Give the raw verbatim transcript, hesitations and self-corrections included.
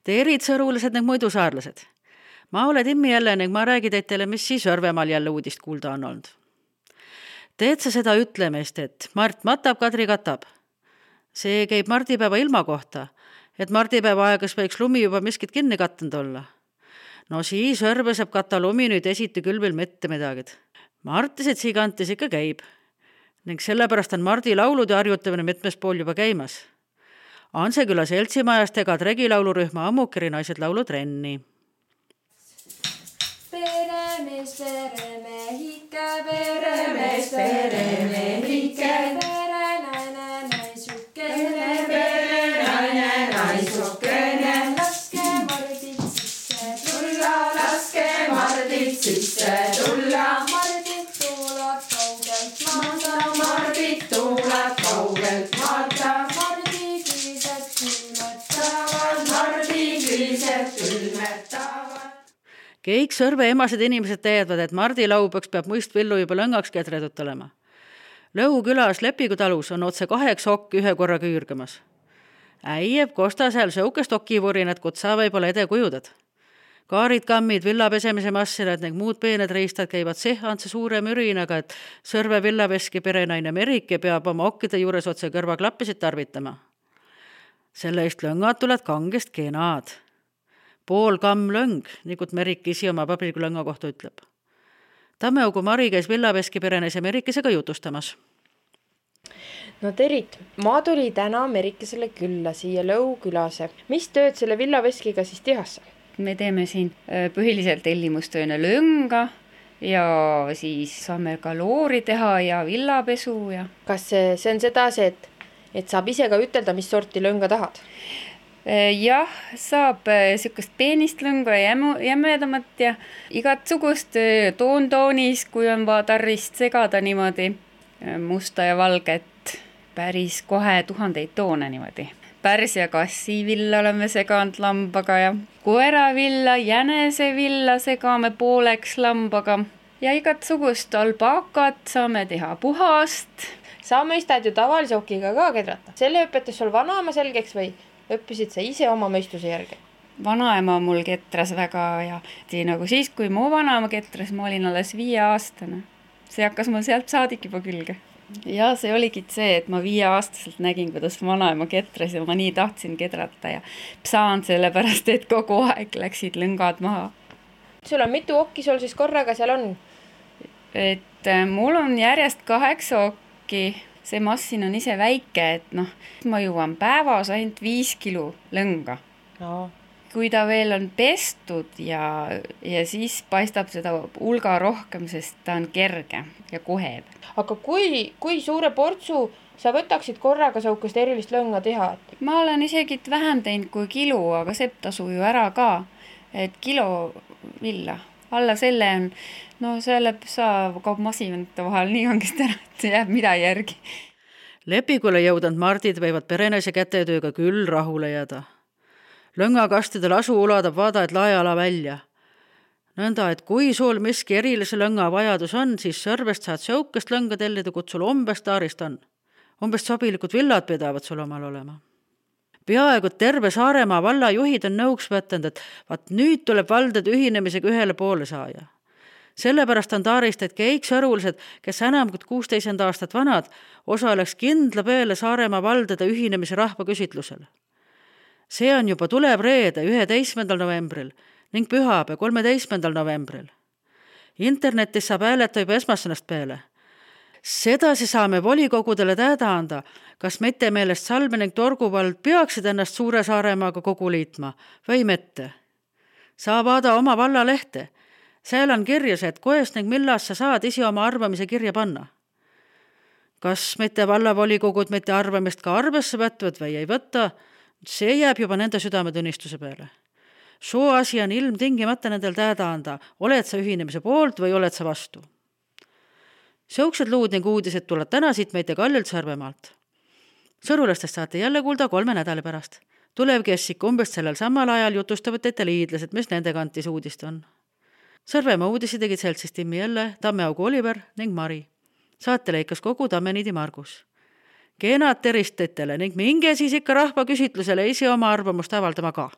Teerid sõrulised ning muidu saarlased. Ma olen Timmi jälle ning ma räägi teitele, mis siis Örvemaal jälle uudist kuulda on olnud. Teed sa seda ütlemist, et Mart matab, Kadri katab. See käib mardipäeva ilma kohta, et mardipäeva aegas võiks lumi juba miskit kinni kattanud olla. No siis Örve saab kata lumi nüüd esiti küll veel mitte midagid. Martised siigantis ikka käib. Ning sellepärast on Mardi laulud ja harjutamine mitmes pool juba käimas. Anseküla seltsimajast ega tregilaulurühma Ammukeri naised laulu trenni. Peremees, peremehike, peremees, peremehike, perenaine, naisukene, perenaine, naisukene. Laske mardid sisse tulla, laske mardid sisse tulla. Mardid tuulad kaugelt maata, mardid tuulad kaugelt maata. Mardi kriised külmetavad, mardi kriised külmetavad. Kõik Sõrve emased inimesed teadvad, et Mardi laubaks peab muist villu juba lõngaks ketredut olema. Lõu külas Lepigu talus on otse kaheks okk ühe korra küürgamas. Äieb kosta seal sõukest okivurinat, kutsa võib-olla ede kujudad. Kaarid, kammid, villapesemise massinad ning muud peened riistad käivad sehantse suure mürinaga, et Sõrve villaveski perenaine Merike peab oma okkide juures otse kõrvaklappisid tarvitama. Selle eest lõngad tuled kangest kenad. Pool kamm lõng, nikut Merik isi oma pabriku lõnga kohta ütleb. Tammeugu Mari käis villaveski perenaise Merikesega jutustamas. No Terit, ma tuli täna Merikesele külla siia Lõu külase. Mis tööd selle villaveskiga siis tehassa? Me teeme siin põhiliselt tellimustööne lõnga ja siis saame ka loori teha ja villapesu. Ja... Kas see, see on sedasi, et, et saab ise ka ütelda, mis sorti lõnga tahad? Jah, saab sükast peenist lõnga ja jämedamat ja igat sugust toon-toonis, kui on vaja tarrist segada niimoodi musta ja valget, päris kohe tuhandeid toone niimoodi. Pärs ja kassivilla oleme seganud lambaga ja koeravilla, jänesevilla segame pooleks lambaga ja igat sugust alpaakat saame teha puhast. Sa mõistad ju tavalise okiga ka kedrata. Selle õpetas sul vanaema selgeks või õppisid sa ise oma mõistuse järgi? Vanaema mul ketras väga ja tii nagu siis, kui mu vanaema ketras, ma olin alles viie aastane. See hakkas mul sealt saadik juba külge. Ja see oligi see, et ma viie aastaselt nägin, kuidas vanaema ketras ja ma nii tahtsin kedrata ja saan sellepärast, et kogu aeg läksid lõngad maha. Sul on mitu okki sul siis korraga seal on? Et mul on järjest kaheksa okki. See massin on ise väike, et noh, ma jõuan päevas ainult viis kilo lõnga. No. Kui ta veel on pestud ja, ja siis paistab seda hulga rohkem, sest ta on kerge ja koheb. Aga kui, kui suure portsu sa võtaksid korraga saukest erilist lõnga teha? Ma olen isegi vähem teinud kui kilo, aga see tasu ju ära ka, et kilo villa. Alla selle on, no selle saa kaub masinate vahel nii kangest ära, et jääb mida järgi. Lepikule jõudnud Mardid võivad perenaise kätetööga küll rahule jääda. Lõngakastidel asu uladab vaada, et laeala välja. Nõnda, et kui sul miski erilise lõnga vajadus on, siis Sõrvest saad sõukest lõnga tellida, kut sul umbes taarist on. Umbes sobilikud villad pidavad sul omal olema. Peaaegu terve Saaremaa valla juhid on nõuks võtnud, et vaat nüüd tuleb valdad ühinemisega ühele poole saaja. Sellepärast on taarist, et kõik sõrulised, kes enam kui kuusteist aastat vanad, osaleks kindla peale Saaremaa valdade ühinemise rahvaküsitlusel. See on juba tulev reede üheteistkümnendal novembril ning pühapäev kolmeteistkümnendal novembril. Internetis saab hääleta juba esmasõnast peale. Sedasi saame volikogudele tähda anda, kas mitte meelest Salme ning Torguvald peaksid ennast Suure Saaremaaga kogu liitma või mitte. Saa vaada oma valla lehte. Seal on kirjas, et koest ning millas sa saad isi oma arvamise kirja panna. Kas mitte vallavolikoguid mitte arvamist ka arvesse võtvad või ei võtta, see jääb juba nende südametunnistuse peale. Soo asi on ilmtingimata nendel tähda anda, oled sa ühinemise poolt või oled sa vastu. Sõuksed luud ning uudised tuleb täna siit meid Kallilt Sõrvemaalt. Sõrulastest saate jälle kuulda kolme nädala pärast. Tulev kessik umbes sellel samal ajal jutustavad teite liidlased, mis nende kantis uudist on. Sõrvemaa uudisi tegid seltsis Timmi jälle, Tammeaugu Oliver ning Mari. Saate leikas kogu Tammeniidi Margus. Kenad teristetele ning minge siis ikka rahva küsitlusele isi oma arvamust avaldama ka.